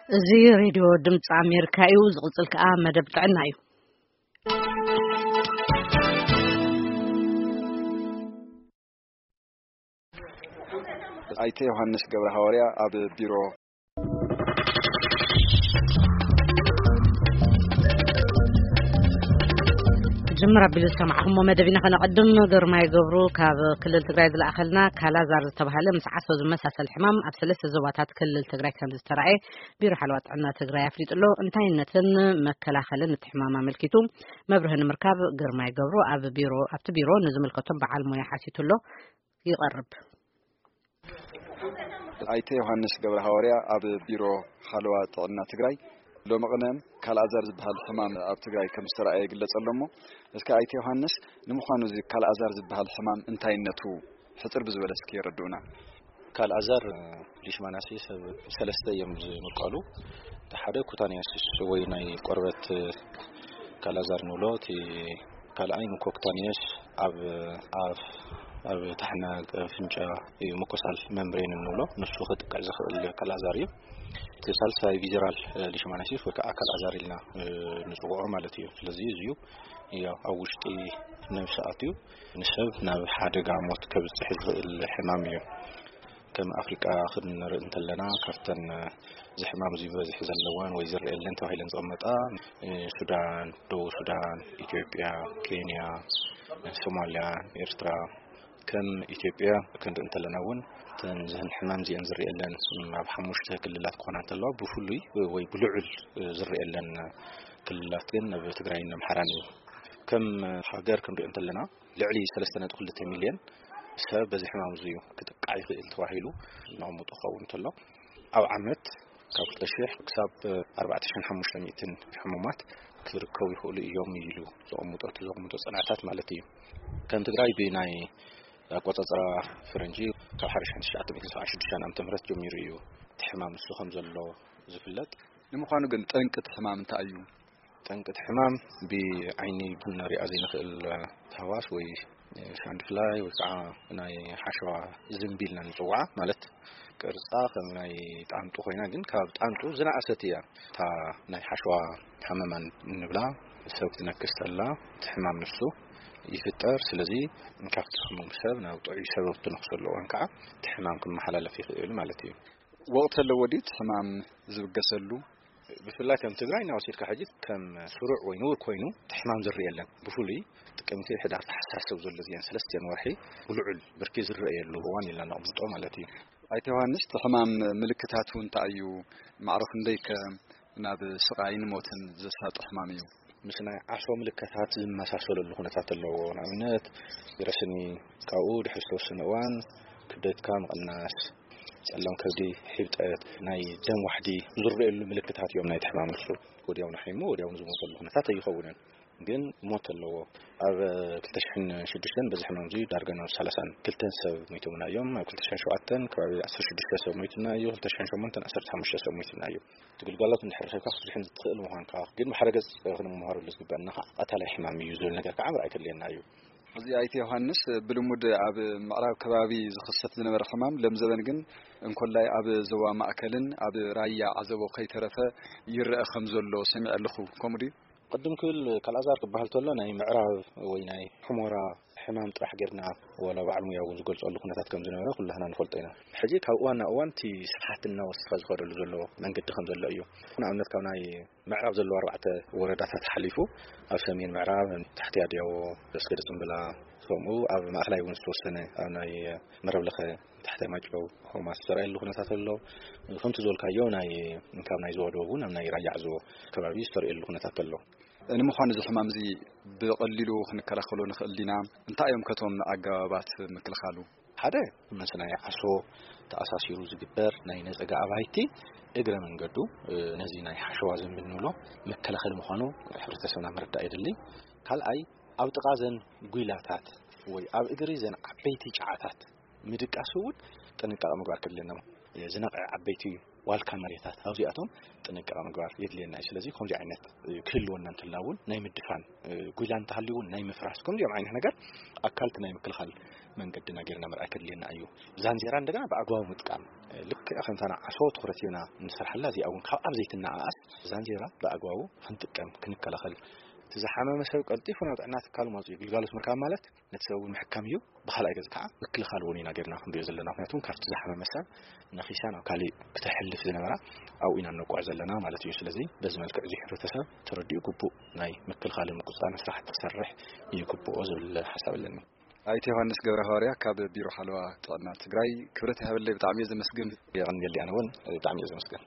እዚ ሬድዮ ድምፂ ኣሜሪካ እዩ። ዝቕፅል ከዓ መደብ ጥዕና እዩ። ኣይተ ዮሃንስ ገብረ ሃዋርያ ኣብ ቢሮ። ክጅምር ኣቢሉ ዝሰማዕኹሞ መደብ ኢና ከነቐድም። ግርማይ ገብሩ ካብ ክልል ትግራይ ዝለኣኸልና ካላዛር ዝተባህለ ምስ ዓሶ ዝመሳሰል ሕማም ኣብ ሰለስተ ዞባታት ክልል ትግራይ ከም ዝተራእየ ቢሮ ሓለዋ ጥዕና ትግራይ ኣፍሊጡ ኣሎ። እንታይነትን መከላኸልን እቲ ሕማም ኣመልኪቱ መብርሂ ንምርካብ ግርማይ ገብሩ ኣብ ቢሮ፣ ኣብቲ ቢሮ ንዝምልከቶም በዓል ሞያ ሓቲቱ ኣሎ። ይቐርብ። ኣይተ ዮሃንስ ገብረ ሃዋርያ ኣብ ቢሮ ሓለዋ ጥዕና ትግራይ። ሎሚ ቅነ ካልኣዛር ዝበሃል ሕማም ኣብ ትግራይ ከም ዝተረኣየ ይግለጽ ኣሎ እሞ፣ እስከ ኣይተ ዮሃንስ፣ ንምዃኑ እዚ ካልኣዛር ዝበሃል ሕማም እንታይነቱ ሕጽር ብዝበለ እስኪ የረድኡና። ካልኣዛር ሊሽማናሲስ ኣብ ሰለስተ እዮም ዝምቀሉ። እቲ ሓደ ኩታንያሲስ ወይ ናይ ቆርበት ካልኣዛር ንብሎ፣ እቲ ካልኣይ ምኮክታንየስ ኣብ ኣፍ፣ ኣብ ታሕና ኣፍንጫ እዩ፣ ምኮሳል መምብሬን እንብሎ፣ ንሱ ክጥቅዕ ዝኽእል ካልኣዛር እዩ። እቲ ሳልሳይ ቪዘራል ሊሽማናሲስ ወይ ከዓ ካልኣዛር ኢልና ንፅውዖ ማለት እዩ። ስለዚ እዚ እዩ ያው ኣብ ውሽጢ ነብሲ ኣትዩ ንሰብ ናብ ሓደጋ ሞት ከብፅሕ ዝኽእል ሕማም እዩ። ከም ኣፍሪቃ ክንርኢ እንተለና፣ ካብተን እዚ ሕማም እዚ በዝሒ ዘለወን ወይ ዝረአየለን ተባሂለን ዝቕመጣ፣ ሱዳን፣ ደቡብ ሱዳን፣ ኢትዮጵያ፣ ኬንያ፣ ሶማልያ፣ ኤርትራ። ከም ኢትዮጵያ ክንርኢ እንተለና እውን፣ እተን ዝህን ሕማም እዚአን ዝረአየለን ኣብ ሓሙሽተ ክልላት ክኾና እንተለዋ፣ ብፍሉይ ወይ ብልዑል ዝረአየለን ክልላት ግን ኣብ ትግራይን ኣምሓራን እዩ። ከም ሃገር ክንሪኦ እንተለና፣ ልዕሊ ሰለስተ ነጥቢ ክልተ ሚልዮን ሰብ በዚ ሕማም እዚ እዩ ክጥቃዕ ይኽእል ተባሂሉ ነቐምጦ ክኸውን እንተሎ፣ ኣብ ዓመት ካብ ክልተ ሺሕ ክሳብ ኣርባዕተ ሺሕን ሓሙሽተ ሚእትን ሕሙማት ክርከቡ ይኽእሉ እዮም ኢሉ ዘቐምጦ፣ ዘቐምጦ ጽንዕታት ማለት እዩ። ከም ትግራይ ብናይ ኣቆጻጽራ ፈረንጂ ካብ ሓደ ሺሕ ትሽዓተ ሚእትን ሰብዓን ሽዱሽተን ዓመተ ምህረት ጀሚሩ እዩ እቲ ሕማም እሱ ከም ዘሎ ዝፍለጥ። ንምዃኑ ግን ጠንቂ እቲ ሕማም እንታይ እዩ? ጠንቂ እቲ ሕማም ብዓይኒ ክንሪኣ ዘይንኽእል ተህዋስ ወይ ሳንድ ፍላይ ወይ ከዓ ናይ ሓሸዋ ዝንቢ ኢልና ንፅውዓ፣ ማለት ቅርፃ ከም ናይ ጣንጡ ኮይና፣ ግን ካብ ጣንጡ ዝነኣሰት እያ። እታ ናይ ሓሸዋ ሃመማን እንብላ ሰብ ክትነክስ ተላ እቲ ሕማም ንሱ ይፍጠር። ስለዚ ካብቲ ሕሙም ሰብ ናብ ጥዑይ ሰብ ትነክሰሉ እዋን ከዓ እቲ ሕማም ክመሓላለፍ ይኽእል ማለት እዩ። ወቕቲ ኣለዎ ድዩ እቲ ሕማም ዝብገሰሉ? ብፍላይ ከም ትግራይ እናወሲድካ ሕጂ ከም ስሩዕ ወይ ንቡር ኮይኑ እቲ ሕማም ዝረአ የለን። ብፍሉይ ጥቅምቲ፣ ሕዳር፣ ታሕሳስ ሰብ ዘሎ እዚአን ሰለስቲአን ወርሒ ብልዑል ብርኪ ዝረአየሉ እዋን ኢልና ነቕምጦ ማለት እዩ። ኣይተ ዮሃንስ፣ እቲ ሕማም ምልክታቱ እንታይ እዩ? ማዕረ ክንደይከ ናብ ስቓይን ሞትን ዘሳጥሕ ሕማም እዩ? ምስ ናይ ዓሶ ምልክታት ዝመሳሰለሉ ኩነታት ኣለዎ። ንኣብነት፣ ረስኒ፣ ካብኡ ድሕሪ ዝተወሰነ እዋን ክብደትካ ምቕናስ፣ ጸላም ከብዲ፣ ሒብጠት፣ ናይ ደም ዋሕዲ ዝረኣየሉ ምልክታት እዮም ናይቲ ሕማም እሱ። ወዲያው ንሓይሙ ወዲያው ዝሞተሉ ኩነታት ኣይኸውንን። ግን ሞት ኣለዎ። ኣብ ክልተ ሽሕን ሽዱሽተን በዚ ሕማም እዚ ዳርጋ ናብ ሰላሳን ክልተን ሰብ ሞይቶምና እዮም። ኣብ ክልተ ሽሕን ሸውዓተን ከባቢ ዓሰርተ ሽዱሽተ ሰብ ሞይትና እዩ። ክልተ ሽሕን ሸሞንተን ዓሰርተ ሓሙሽተ ሰብ ሞይትና እዩ። እቲ ግልጋሎት እንድሕር ረኺብካ ክትድሕን ትኽእል ምዃንካ፣ ግን ብሓደ ገጽ ክንመሃረሉ ዝግበአና ከዓ ቀታላይ ሕማም እዩ ዝብል ነገር ከዓ ምርኣይ ከድልየና እዩ። እዚ ኣይተ ዮሃንስ፣ ብልሙድ ኣብ ምዕራብ ከባቢ ዝኽሰት ዝነበረ ሕማም ለምዘበን ግን እንኮላይ ኣብ ዞባ ማእከልን ኣብ ራያ ዓዘቦ ከይተረፈ ይረአ ከም ዘሎ ሰሚዐ ኣለኹ። ከምኡ ድዩ? ቅድም ክብል ካልኣዛር ክበሃል ተሎ ናይ ምዕራብ ወይ ናይ ሕሞራ ሕማም ጥራሕ ጌርና ዋላ በዓል ሙያ እውን ዝገልጸሉ ኩነታት ከም ዝነበረ ኩላህና ንፈልጦ ኢና። ሕጂ ካብ እዋን ናብ እዋን እቲ ስፍሓት እናወሰኸ ዝኸደሉ ዘሎ መንገዲ ከም ዘሎ እዩ። ንኣብነት ካብ ናይ ምዕራብ ዘለዉ ኣርባዕተ ወረዳታት ሓሊፉ ኣብ ሰሜን ምዕራብ ታሕቲ ኣድያቦ፣ ደስገደ ጽምብላ፣ ከምኡ ኣብ ማእከላይ እውን ዝተወሰነ ኣብ ናይ መረብ ለኸ ታሕታይ ማይጨው ሆማስ ዝተረኣየሉ ኩነታት ኣሎ። ከምቲ ዝበልካዮ ናይ ካብ ናይ ዞባ ደቡብ እውን ኣብ ናይ ራያ ዓዘቦ ከባቢ ዝተረኣየሉ ኩነታት ኣሎ። ንምዃኑ እዚ ሕማም እዚ ብቐሊሉ ክንከላኸሎ ንኽእል ዲና? እንታይ እዮም ከቶም ኣገባባት ምክልኻሉ? ሓደ፣ ምስ ናይ ዓሶ ተኣሳሲሩ ዝግበር ናይ ነጸጋ ኣባይቲ እግረ መንገዱ፣ እ፣ ነዚ ናይ ሓሸዋ ዝንቢ እንብሎ መከላኸሊ ምዃኑ ሕብረተሰብና ምርዳእ የድሊ። ካልኣይ፣ ኣብ ጥቓ ዘን ጒላታት ወይ ኣብ እግሪ ዘን ዓበይቲ ጨዓታት ምድቃስ እውን ጥንቃቐ ምግባር ከድልየና። ዝነቕዐ ዓበይቲ ዋልካ መሬታት ኣብዚኣቶም ጥንቃቐ ምግባር የድልየና እዩ። ስለዚ ከምዚ ዓይነት ክህልወና እንተላ እውን ናይ ምድፋን ጉይላ እንተሃልዩ እውን ናይ ምፍራስ ከምዚኦም ዓይነት ነገር ኣካልቲ ናይ ምክልኻል መንገድና ጌርና ምርኣይ ከድልየና እዩ። ዛንዜራ እንደገና ብኣግባቡ ምጥቃም ልክዕ ከምታ ንዓሶ ትኹረት ሂብና ንሰርሓላ እዚኣ እውን ካብ ኣብ ዘይትነኣኣስ ዛንዜራ ብኣግባቡ ክንጥቀም ክንከላኸል እቲ ዝሓመመ ሰብ ቀልጢፉ ናብ ጥዕና ትካሉ ማፅኡ ግልጋሎት ምርካብ ማለት ነቲ ሰብ እውን ምሕካም እዩ። ብኻልኣይ ገጽ ከዓ ምክልኻል እውን ኢና ጌርና ክንሪኦ ዘለና። ምክንያቱ ካብቲ ዝሓመመ ሰብ ነኺሳ ናብ ካሊእ ክተሕልፍ ዝነበራ ኣብኡ ኢና ነቋዕ ዘለና ማለት እዩ። ስለዚ በዚ መልክዕ እዚ ሕብረተሰብ ተረዲኡ ግቡእ ናይ ምክልኻልን ምቁፅፃርን ስራሕቲ ክሰርሕ ይግብኦ ዝብል ሓሳብ ኣለኒ። ኣይተ ዮሃንስ ገብረ ሃዋርያ ካብ ቢሮ ሓለዋ ጥዕና ትግራይ ክብረት ይሃበለይ። ብጣዕሚ እየ ዘመስግን። የቐንየሊ ኣነ እውን ብጣዕሚ እየ ዘመስግን።